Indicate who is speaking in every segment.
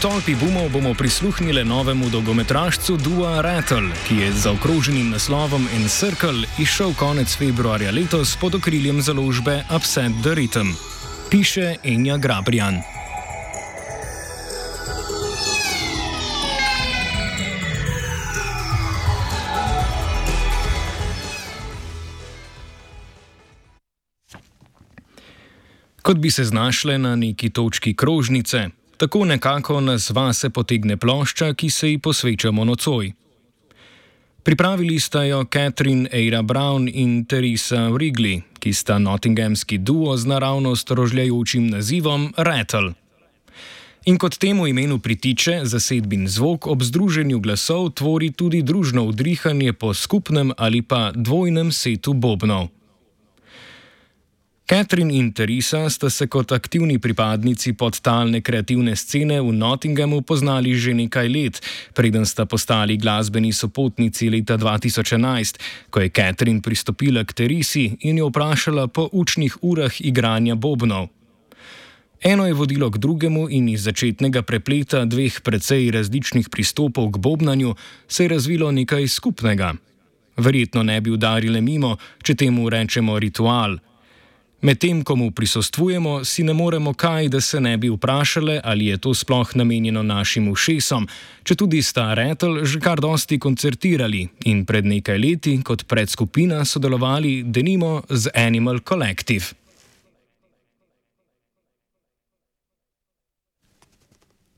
Speaker 1: tolpi boomov bomo prisluhnili novemu dolgometražcu dua Rattle, ki je z zaokroženim naslovom Encircle izšel konec februarja letos pod okriljem založbe Upset the Rhythm. Piše Enja Grabrijan. Kot bi se znašle na neki točki krožnice, tako nekako nas vase potegne plošča, ki se ji posvečamo nocoj. Pripravili sta jo Catherine Eira Brown in Teresa Wrigley, ki sta nottinghamski duo z naravnost rožljajočim nazivom Rattle. In kot temu imenu pritiče, zasedbin zvok ob združenju glasov tvori tudi družno udrihanje po skupnem ali pa dvojnem setu bobnov. Catherine in Teresa sta se kot aktivni pripadnici podtalne kreativne scene v Nottinghamu poznali že nekaj let, preden sta postali glasbeni sopotnici leta 2011, ko je Catherine pristopila k Teresi in jo vprašala po učnih urah igranja bobnov. Eno je vodilo k drugemu in iz začetnega prepleta dveh precej različnih pristopov k bobnanju se je razvilo nekaj skupnega. Verjetno ne bi udarile mimo, če temu rečemo ritual. Medtem, ko mu prisostvujemo, si ne moremo kaj, da se ne bi vprašale, ali je to sploh namenjeno našim ušesom, četudi sta Rattle že kar dosti koncertirali in pred nekaj leti kot predskupina sodelovali denimo z Animal Collective.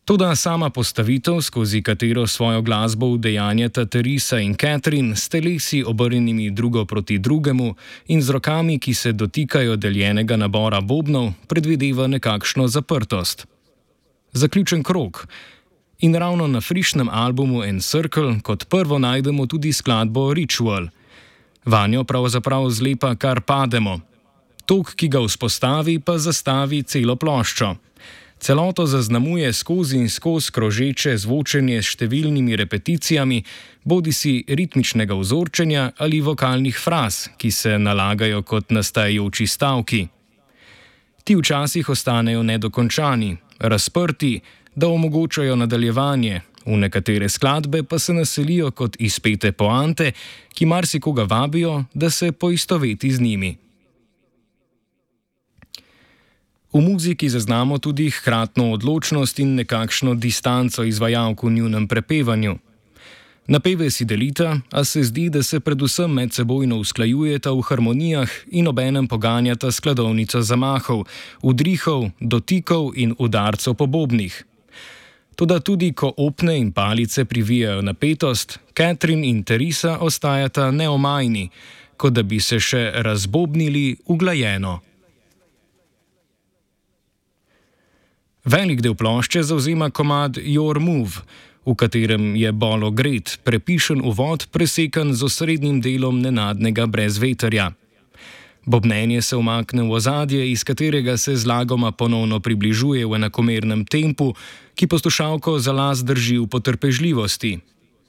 Speaker 1: Toda sama postavitev, skozi katero svojo glasbo udejanjata Teresa in Catherine, s telesi obrnjenimi drugo proti drugemu in z rokami, ki se dotikajo deljenega nabora bobnov, predvideva nekakšno zaprtost. Zaključen krog. In ravno na frišnem albumu Encircle kot prvo najdemo tudi skladbo Ritual. Vanjo pravzaprav zlepa kar pademo. Tok, ki ga vzpostavi, pa zastavi celo ploščo. Celoto zaznamuje skozi in skozi krožeče zvočenje s številnimi repeticijami, bodisi ritmičnega vzorčenja ali vokalnih fraz, ki se nalagajo kot nastajajoči stavki. Ti včasih ostanejo nedokončani, razprti, da omogočajo nadaljevanje, v nekatere skladbe pa se naselijo kot izpete poante, ki marsikoga vabijo, da se poistoveti z njimi. V muziki zaznamo tudi hkratno odločnost in nekakšno distanco izvajalk v njunem prepevanju. Napeve si delita, a se zdi, da se predvsem medsebojno usklajujeta v harmonijah in obenem poganjata skladovnico zamahov, udrihov, dotikov in udarcev po bobnih. Toda tudi ko opne in palice privijajo napetost, Catherine in Teresa ostajata neomajni, kot da bi se še razbobnili uglajeno. Velik del plošče zavzema komad Your Move, v katerem je bolo gret, prepišen uvod, presekan z osrednjim delom nenadnega brezvetrja. Bobnenje se umakne v ozadje, iz katerega se zlagoma ponovno približuje v enakomernem tempu, ki poslušalko za las drži v potrpežljivosti.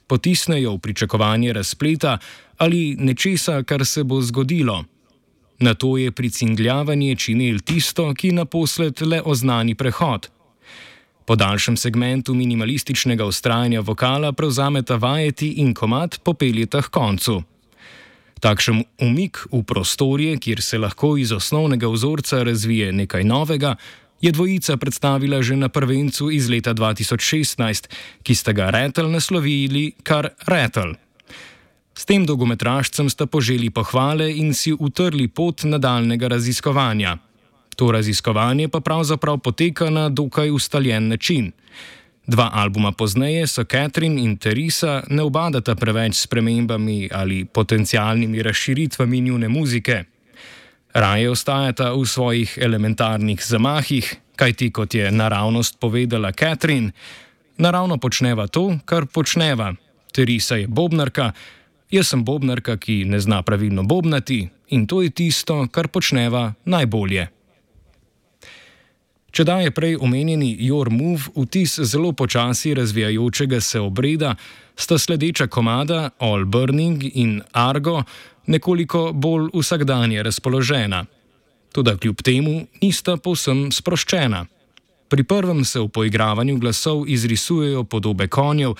Speaker 1: Potisnejo v pričakovanje razpleta ali nečesa, kar se bo zgodilo. Nato je pricingljavanje činel tisto, ki naposled le oznani prehod. Po daljšem segmentu minimalističnega vztrajanja vokala prevzameta vajeti in komad popeljeta k koncu. Takšen umik v prostorje, kjer se lahko iz osnovnega vzorca razvije nekaj novega, je dvojica predstavila že na prvencu iz leta 2016, ki sta ga Rattle naslovili kar Rattle. S tem dolgometražcem sta poželi pohvale in si utrli pot nadaljnega raziskovanja. To raziskovanje pa pravzaprav poteka na dokaj ustaljen način. 2 albuma pozneje so Catherine in Teresa ne ubadata preveč s spremembami ali potencialnimi razširitvami njune muzike. Raje ostajata v svojih elementarnih zamahih, kajti kot je naravnost povedala Catherine, naravno počneva to, kar počneva. Teresa je bobnarka, jaz sem bobnarka, ki ne zna pravilno bobnati, in to je tisto, kar počneva najbolje. Če daje prej omenjeni Your Move vtis zelo počasi razvijajočega se obreda, sta sledeča komada All Burning in Argo nekoliko bolj vsakdanje razpoložena. Toda kljub temu nista povsem sproščena. Pri prvem se v poigravanju glasov izrisujejo podobe konjev,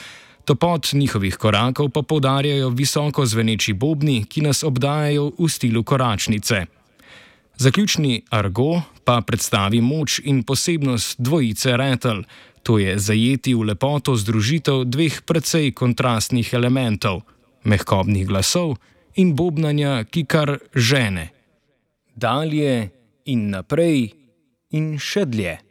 Speaker 1: topot njihovih korakov pa poudarjajo visoko zveneči bobni, ki nas obdajajo v stilu koračnice. Zaključni argo pa predstavi moč in posebnost dvojice retel, to je zajeti v lepoto združitev dveh precej kontrastnih elementov, mehkobnih glasov in bobnanja, ki kar žene. Dalje in naprej in še dlje.